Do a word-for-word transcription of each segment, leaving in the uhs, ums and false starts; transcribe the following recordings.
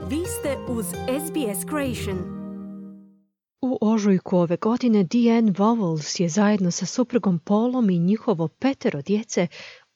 Vi ste uz S B S Creation. U ožujku ove godine Diane Vowles je zajedno sa suprugom Paulom i njihovo petero djece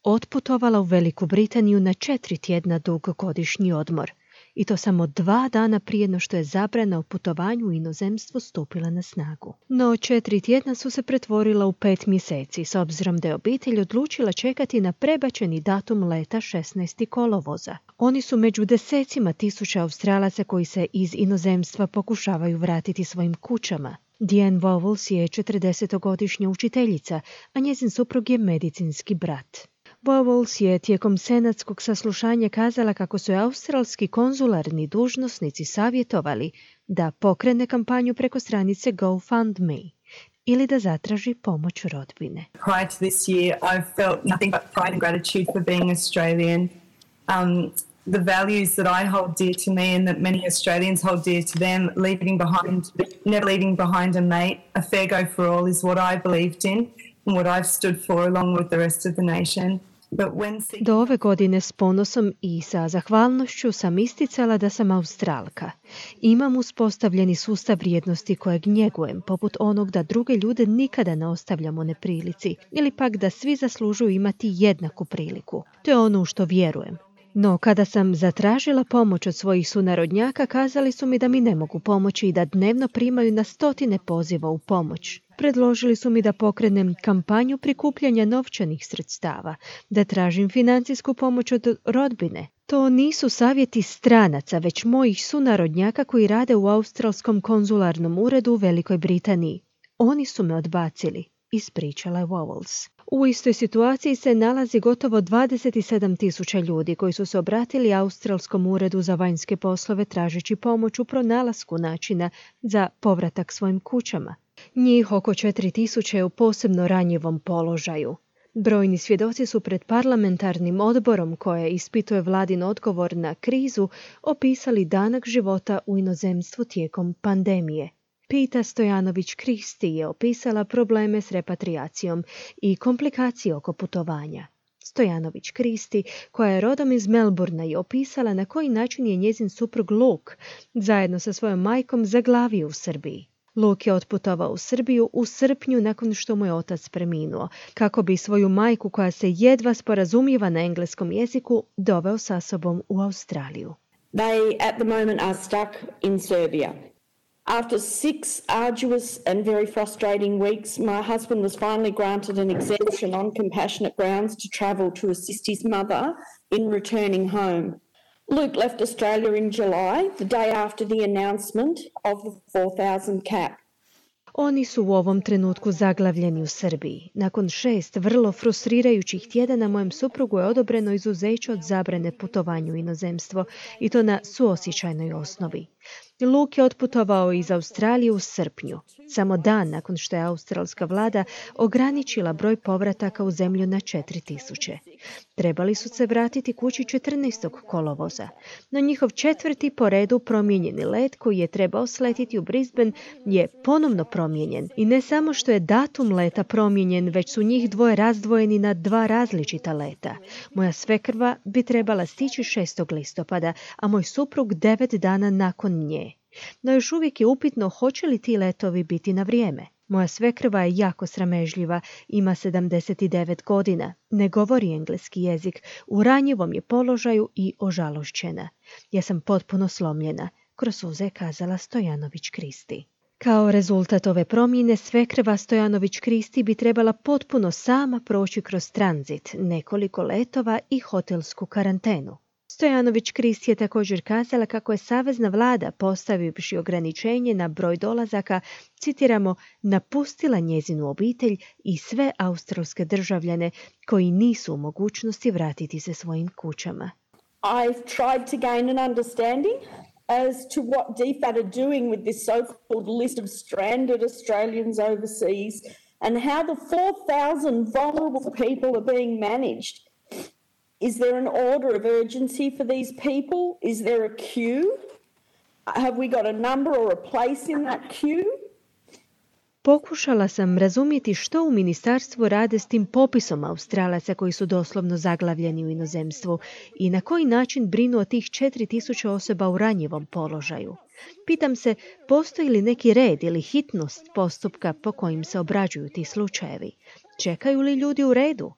otputovala u Veliku Britaniju na četiri tjedna dug godišnji odmor. I to samo dva dana prije no što je zabrana o putovanju u inozemstvo stupila na snagu. No četiri tjedna su se pretvorila u pet mjeseci, s obzirom da je obitelj odlučila čekati na prebačeni datum leta šesnaestog kolovoza. Oni su među desecima tisuća Australaca koji se iz inozemstva pokušavaju vratiti svojim kućama. Diane Vowles je četrdesetogodišnja učiteljica, a njezin suprug je medicinski brat. Vowles je tijekom senatskog saslušanja kazala kako su australski konzularni dužnosnici savjetovali da pokrene kampanju preko stranice GoFundMe ili da zatraži pomoć rodbine. Prior to this year, I've felt nothing but pride and gratitude for being Australian. Um, the values that I hold dear to me and that many Australians hold dear to them, leaving behind, never leaving behind a mate, a fair go for all is what I believed in and what I've stood for along with the rest of the nation. Do ove godine s ponosom i sa zahvalnošću sam isticala da sam Australka. Imam uspostavljeni sustav vrijednosti kojeg njegujem, poput onog da druge ljude nikada ne ostavljamo neprilici, ili pak da svi zaslužuju imati jednaku priliku. To je ono u što vjerujem. No, kada sam zatražila pomoć od svojih sunarodnjaka, kazali su mi da mi ne mogu pomoći i da dnevno primaju na stotine poziva u pomoć. Predložili su mi da pokrenem kampanju prikupljanja novčanih sredstava, da tražim financijsku pomoć od rodbine. To nisu savjeti stranaca, već mojih sunarodnjaka koji rade u Australskom konzularnom uredu u Velikoj Britaniji. Oni su me odbacili, ispričala je Vowles. U istoj situaciji se nalazi gotovo dvadeset sedam tisuća ljudi koji su se obratili Australskom uredu za vanjske poslove tražeći pomoć u pronalasku načina za povratak svojim kućama. Njih oko četiri tisuće je u posebno ranjivom položaju. Brojni svjedoci su pred parlamentarnim odborom koje ispituje vladin odgovor na krizu opisali danak života u inozemstvu tijekom pandemije. Pita Stojanović-Kristi je opisala probleme s repatriacijom i komplikacije oko putovanja. Stojanović-Kristi, koja je rodom iz Melbourna, je opisala na koji način je njezin suprug Luke zajedno sa svojom majkom zaglavio u Srbiji. Luke je otputovao u Srbiju u srpnju nakon što mu je otac preminuo, kako bi svoju majku, koja se jedva sporazumijeva na engleskom jeziku, doveo sa sobom u Australiju. They at the moment are stuck in Serbia. After six arduous and very frustrating weeks, my husband was finally granted an exemption on compassionate grounds to travel to assist his mother in returning home. Luke left Australia in July, the day after the announcement of the four thousand cap. Oni su u ovom trenutku zaglavljeni u Srbiji. Nakon šest vrlo frustrirajućih tjedana mojem suprugu je odobreno izuzeće od zabrane putovanju u inozemstvo i to na suosjećajnoj osnovi. Luke je otputovao iz Australije u srpnju, samo dan nakon što je australska vlada ograničila broj povrataka u zemlju na četiri tisuće. Trebali su se vratiti kući četrnaestog kolovoza, no njihov četvrti po redu promijenjeni let koji je trebao sletiti u Brisbane je ponovno promijenjen. I ne samo što je datum leta promijenjen, već su njih dvoje razdvojeni na dva različita leta. Moja svekrva bi trebala stići šestog listopada, a moj suprug devet dana nakon nje. No još uvijek je upitno hoće li ti letovi biti na vrijeme. Moja svekrva je jako sramežljiva, ima sedamdeset devet godina, ne govori engleski jezik, u ranjivom je položaju i ožalošćena. Ja sam potpuno slomljena, kroz suze je kazala Stojanović-Kristi. Kao rezultat ove promjene, svekrva Stojanović-Kristi bi trebala potpuno sama proći kroz tranzit, nekoliko letova i hotelsku karantenu. Stojanović-Kristi je također kazala kako je savezna vlada, postavivši ograničenje na broj dolazaka, citiramo, napustila njezinu obitelj i sve australske državljane koji nisu u mogućnosti vratiti se svojim kućama. I've tried to gain an understanding as to what D F A T are doing with this so-called list of stranded Australians overseas and how the four thousand vulnerable people are being managed. Is there an order of urgency for these people? Is there a queue? Have we got a number or a place in that queue? Pokušala sam razumjeti što u ministarstvu rade s tim popisom Australaca koji su doslovno zaglavljeni u inozemstvu i na koji način brinu o tih četiri tisuće osoba u ranjivom položaju. Pitam se, postoji li neki red ili hitnost postupka po kojim se obrađuju ti slučajevi? Čekaju li ljudi u redu?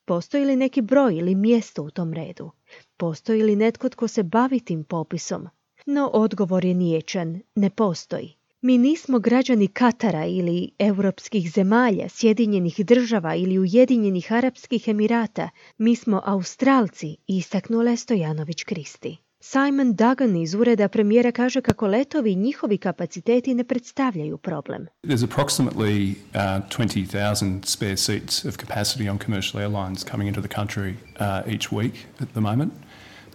Postoji li neki broj ili mjesto u tom redu? Postoji li netko tko se bavi tim popisom? No odgovor je niječan, ne postoji. Mi nismo građani Katara ili europskih zemalja, Sjedinjenih država ili Ujedinjenih Arapskih Emirata. Mi smo Australci, istaknula je Stojanović Kristi. Simon Duggan iz ureda premijera kaže kako letovi i njihovi kapaciteti ne predstavljaju problem. There's approximately uh, twenty thousand spare seats of capacity on commercial airlines coming into the country uh, each week at the moment.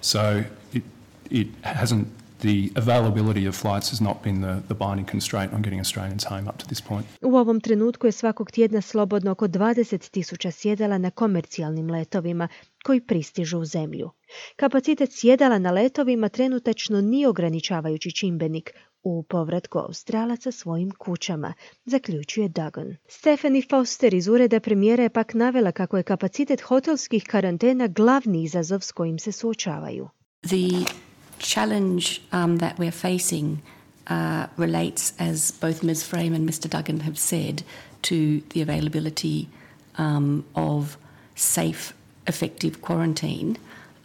So it, it hasn't The availability of flights has not been the, the binding constraint on getting Australians home up to this point. U ovom trenutku je svakog tjedna slobodno oko dvadeset tisuća sjedala na komercijalnim letovima koji pristižu u zemlju. Kapacitet sjedala na letovima trenutačno nije ograničavajući čimbenik u povratku Australaca svojim kućama, zaključuje Duggan. Stephanie Foster iz ureda premijera je pak navela kako je kapacitet hotelskih karantena glavni izazov s kojim se suočavaju. The challenge um, that we're facing uh, relates, as both Miz Frame and Mister Duggan have said, to the availability um, of safe, effective quarantine.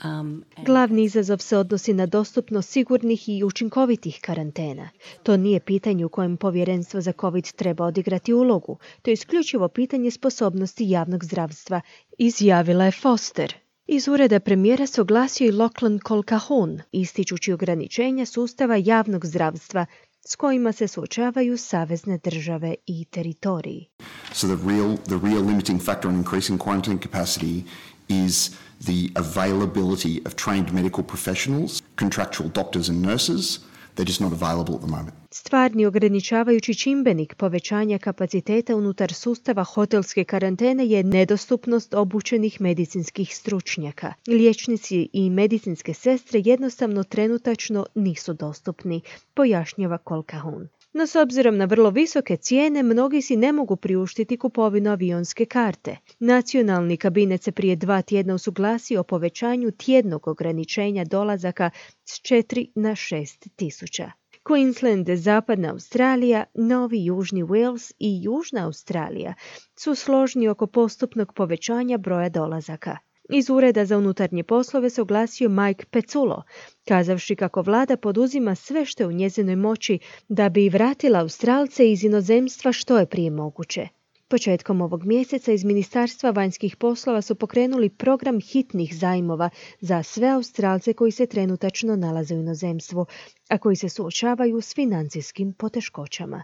Um, and... Glavni izazov se odnosi na dostupnost sigurnih i učinkovitih karantena. To nije pitanje u kojem povjerenstvo za COVID treba odigrati ulogu. To je isključivo pitanje sposobnosti javnog zdravstva, izjavila je Foster. Iz ureda premijera se oglasio i Lachlan Colquhoun, ističući ograničenja sustava javnog zdravstva s kojima se suočavaju savezne države i teritoriji. So the real, the real limiting factor in increasing quarantine capacity is the availability of trained medical professionals, contractual doctors and nurses. They're just not available at the moment. Stvarni ograničavajući čimbenik povećanja kapaciteta unutar sustava hotelske karantene je nedostupnost obučenih medicinskih stručnjaka. Liječnici i medicinske sestre jednostavno trenutačno nisu dostupni, pojašnjava Colquhoun. No s obzirom na vrlo visoke cijene, mnogi si ne mogu priuštiti kupovinu avionske karte. Nacionalni kabinet se prije dva tjedna usuglasio o povećanju tjednog ograničenja dolazaka s četiri na šest tisuća. Queensland, Zapadna Australija, Novi Južni Wales i Južna Australija su složni oko postupnog povećanja broja dolazaka. Iz Ureda za unutarnje poslove se oglasio Mike Peculo, kazavši kako vlada poduzima sve što je u njezinoj moći da bi vratila Australce iz inozemstva što je prije moguće. Početkom ovog mjeseca iz Ministarstva vanjskih poslova su pokrenuli program hitnih zajmova za sve Australce koji se trenutačno nalaze u inozemstvu, a koji se suočavaju s financijskim poteškoćama.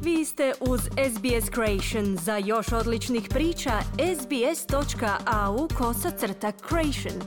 Vi ste uz S B S Creation. Za još odličnih priča, sbs.au kosacrta creation.